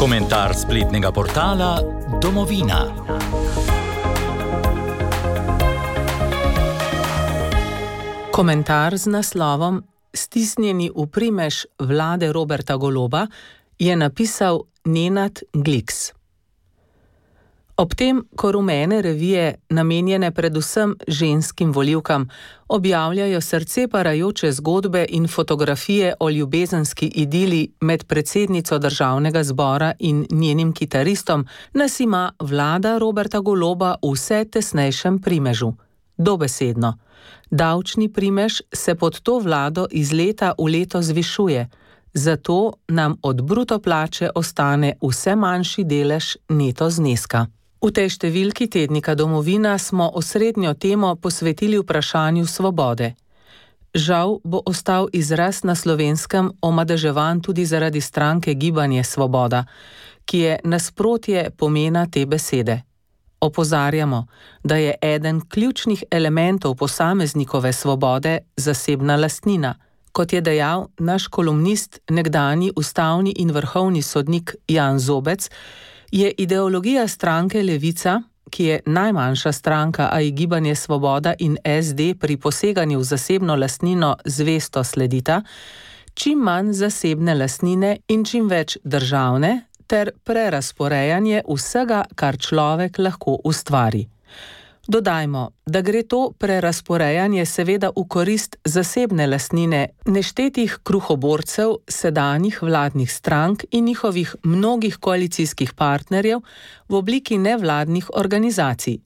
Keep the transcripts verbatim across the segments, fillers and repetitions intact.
Komentar spletnega portala Domovina. Komentar z naslovom Stisnjeni v primež vlade Roberta Goloba je napisal Nenad Gliks. Ob tem, ko rumene revije, namenjene predvsem ženskim volivkam, objavljajo srce parajoče zgodbe in fotografije o ljubezenski idili med predsednico državnega zbora in njenim kitaristom, nas ima vlada Roberta Goloba v vse tesnejšem primežu. Dobesedno. Davčni primež se pod to vlado iz leta v leto zvišuje, zato nam od bruto plače ostane vse manjši delež neto zneska. V tej številki tednika Domovina smo osrednjo temo posvetili vprašanju svobode. Žal bo ostal izraz na Slovenskem omadeževan tudi zaradi stranke Gibanje Svoboda, ki je nasprotje pomena te besede. Opozarjamo, da je eden ključnih elementov posameznikove svobode zasebna lastnina. Kot je dejal naš kolumnist, nekdanji ustavni in vrhovni sodnik Jan Zobec, je ideologija stranke Levica, ki je najmanjša stranka, a ji Gibanje Svoboda in es de pri poseganju v zasebno lastnino zvesto sledita, čim manj zasebne lastnine in čim več državne, ter prerazporejanje vsega, kar človek lahko ustvari. Dodajmo, da gre to prerazporejanje seveda v korist zasebne lastnine neštetih kruhoborcev sedanjih vladnih strank in njihovih mnogih koalicijskih partnerjev v obliki nevladnih organizacij.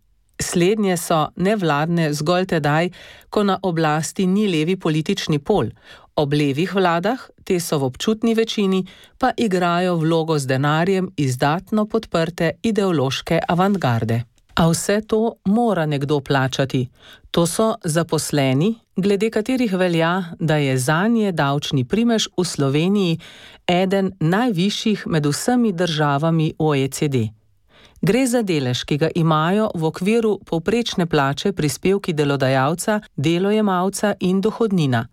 Slednje so nevladne zgolj tedaj, ko na oblasti ni levi politični pol. Ob levih vladah, te so v občutni večini, pa igrajo vlogo z denarjem izdatno podprte ideološke avantgarde. A vse to mora nekdo plačati. To so zaposleni, glede katerih velja, da je zanje davčni primež v Sloveniji eden najvišjih med vsemi državami o e ce de. Gre za delež, ki ga imajo v okviru povprečne plače prispevki delodajalca, delojemalca in dohodnina.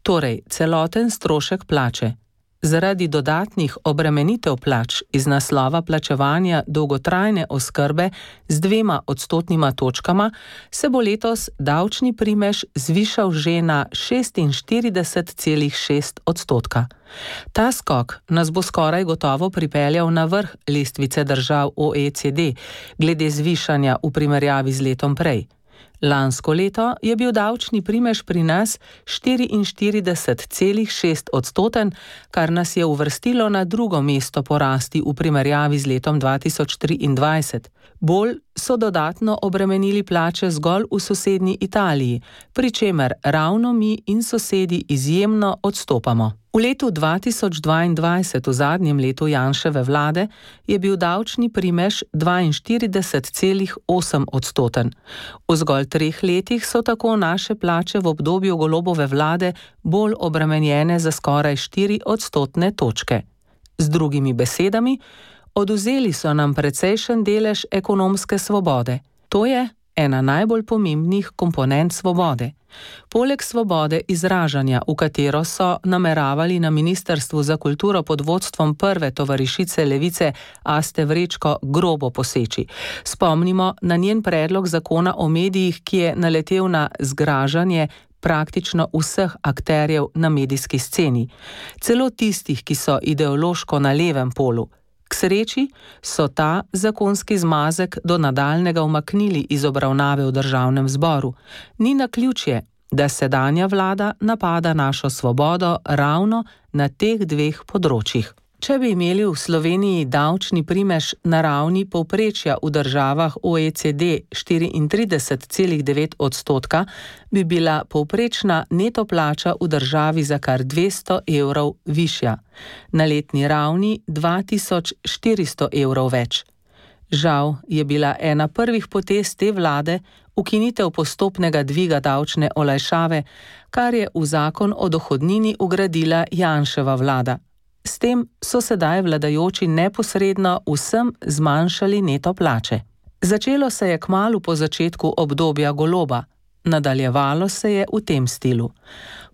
Torej, celoten strošek plače. Zaradi dodatnih obremenitev plač iz naslova plačevanja dolgotrajne oskrbe z dvema odstotnima točkama se bo letos davčni primež zvišal že na šestinštirideset celih šest odstotka. Ta skok nas bo skoraj gotovo pripeljal na vrh lestvice držav o e ce de, glede zvišanja v primerjavi z letom prej. Lansko leto je bil davčni primež pri nas štiriinštirideset celih šest odstoten, kar nas je uvrstilo na drugo mesto po rasti v primerjavi z letom dva tisoč triindvajset. Bolj so dodatno obremenili plače zgolj v sosednji Italiji, pri čemer ravno mi in sosedi izjemno odstopamo. V letu dva tisoč dvaindvajset, v zadnjem letu Janševe vlade, je bil davčni primež dvainštirideset celih osem odstoten. V zgolj treh letih so tako naše plače v obdobju Golobove vlade bolj obremenjene za skoraj štiri odstotne točke. Z drugimi besedami, odvzeli so nam precejšen delež ekonomske svobode. To je ena najbolj pomembnih komponent svobode. Poleg svobode izražanja, v katero so nameravali na Ministrstvu za kulturo pod vodstvom prve tovarišice Levice Aste Vrečko grobo poseči. Spomnimo na njen predlog zakona o medijih, ki je naletel na zgražanje praktično vseh akterjev na medijski sceni, celo tistih, ki so ideološko na levem polu. K sreči so ta zakonski zmazek do nadaljnega umaknili iz obravnave v državnem zboru. Ni naključje, da sedanja vlada napada našo svobodo ravno na teh dveh področjih. Če bi imeli v Sloveniji davčni primež na ravni povprečja v državah o e ce de štiriintrideset celih devet odstotka, bi bila povprečna neto plača v državi za kar dvesto evrov višja. Na letni ravni dva tisoč štiristo evrov več. Žal je bila ena prvih potez te vlade ukinitev postopnega dviga davčne olajšave, kar je v zakon o dohodnini vgradila Janševa vlada. S tem so sedaj vladajoči neposredno vsem zmanjšali neto plače. Začelo se je kmalu po začetku obdobja Goloba. Nadaljevalo se je v tem stilu.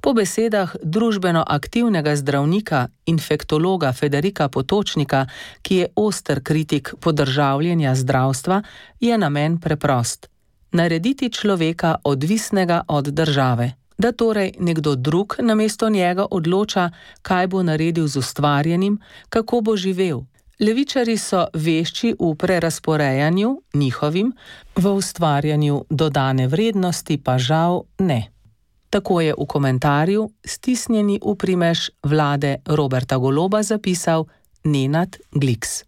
Po besedah družbeno aktivnega zdravnika, infektologa Federika Potočnika, ki je oster kritik podržavljenja zdravstva, je namen preprost: narediti človeka odvisnega od države, da torej nekdo drug namesto njega odloča, kaj bo naredil z ustvarjenim, kako bo živel. Levičarji so vešči v prerasporejanju, njihovim, v ustvarjanju dodane vrednosti pa žal ne. Tako je v komentarju, stisnjeni v primež vlade Roberta Goloba, zapisal Nenad Gliks.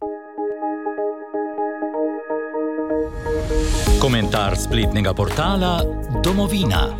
Komentar spletnega portala Domovina.